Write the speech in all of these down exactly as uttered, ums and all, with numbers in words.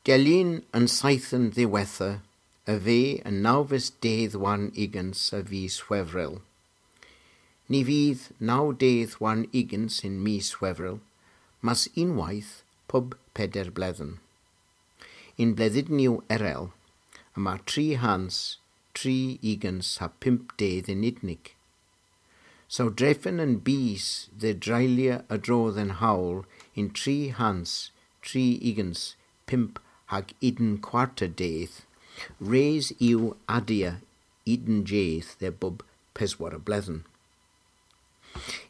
Dell un an seythen dhiwettha a veu an nawves dydh warn ugens a vis Hwevrel. Ny vydh naw dydh warn ugens yn mis Hwevrel, mes unnweyth pub peder bledhen. Yn bledhynyow erel, yma tri hans tri ugens ha pymp dydh yn unnik. Saw drefen an bys dhe dreylya a-dro dhe'n howl yn tri hans tri ugens pymp hag unn kwarta dydh, res yw adya unn jydh dhe bub peswara bledhen.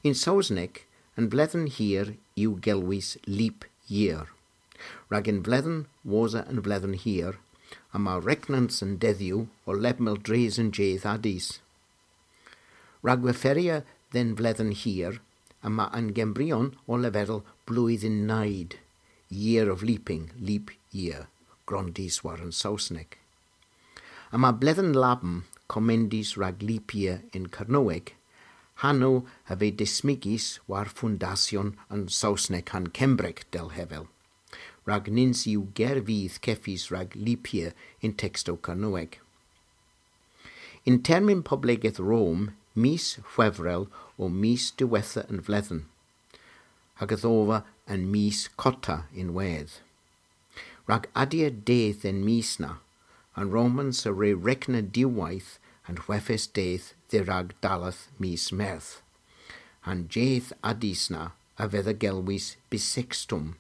Yn Sowsnek, an bledhen hir yw gelwys leap year. Rag an vledhen wosa an vledhen hir, yma regnans an dedhyow ow lebmyn dres an jydh a dus. Rag referya dhe'n vledhen hir, yma an Gembryon ow leverel blwyddyn neud, year of leaping, leap year, grondys war an Sowsnek. Yma bledhen labm komendys rag leap year yn Kernewek, hanow a veu dismygys war fundasyon an Sowsnek ha'n Kembrek, dell hevel. Rag nyns yw ger vydh kevys rag leap year yn tekstow Kernewek. Yn termyn poblegeth Rom, mis Hwevrel o mis diwettha an vledhen, hag yth ova an mis kotta ynwedh. Rag adya dydh dhe'n mis na, an Romans a wre regna diwweyth an hweghes dydh dhe-rag dalleth mis Meurth. An jydh a dus na a vedha gelwys bissextum,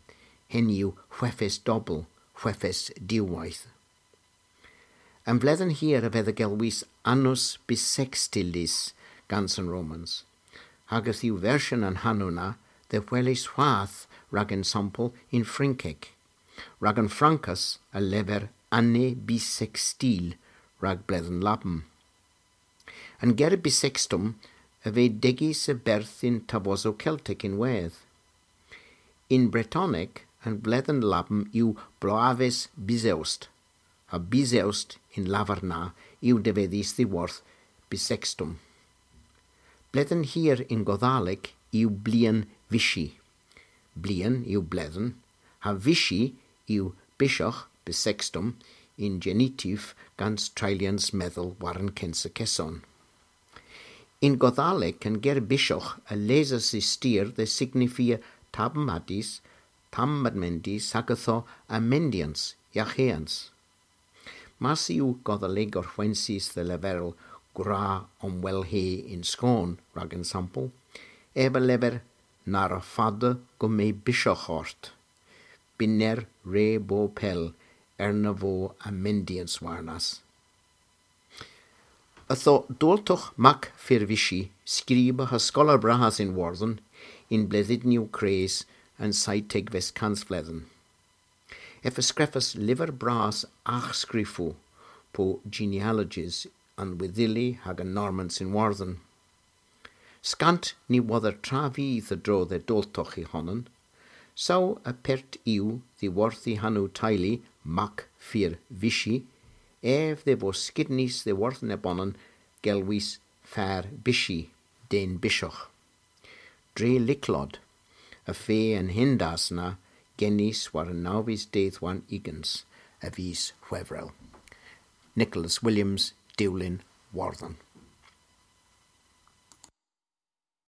henn yw hweghes dobel, hweghes diwweyth. An vledhen hir a vedha gelwys annus bissextilis gans an Romans, hag yth yw versyon an hanow na dhe weles hwath rag ensampel yn Frynkek. Rag an Frankas a lever année bissextile rag bledhen labm. An ger bissextum a veu degys a-berth yn tavosow Keltek ynwedh. Yn Bretonek, an vledhen labm yw bloaves bisewst, ha bisewst y'n lavar na yw devedhys dhyworth bissextum. Bledhen hir yn Godhalek yw blian vysi. Blian yw bledhen, ha vysi yw byshogh, bissextum, yn genitiv gans treylyans medhel war an kynsa keson. Yn Godhalek, an ger byshogh a lesas y styr dhe signifia tamm a dus, tamm a mendis, hag ytho amendyans, yaghyans. Mars yw Godhalegor hwensys dhe leverel gwra omwellhe yn skon, rag ensampel, ev a lever na wra fada gumma byshogh orth. Bynner re bo pell, erna vo amendyans warnas. Ytho, Doltogh Mac Firvysi, skriber ha skoller bras yn Wordhen, yn bledhynyow kres an seytegves kansvledhen. Ev a skrifas lyver bras arghskrifow, po genealogies, a'n Wydhyli hag an Normans yn Wordhen. Skant ny wodhor tra vydh a-dro dhe Doltogh y honan, saw apert yw dhyworth y hanow teylu Mac Firvysi, ev dhe vos skidnys dhyworth nebonan gelwys Far Bysi, den byshogh. Dre lyklod, y feu an hendas na genys war an nawves dydh warn ugens a vis Hwevrel. Nicholas Williams, Dewlin, Wordhen.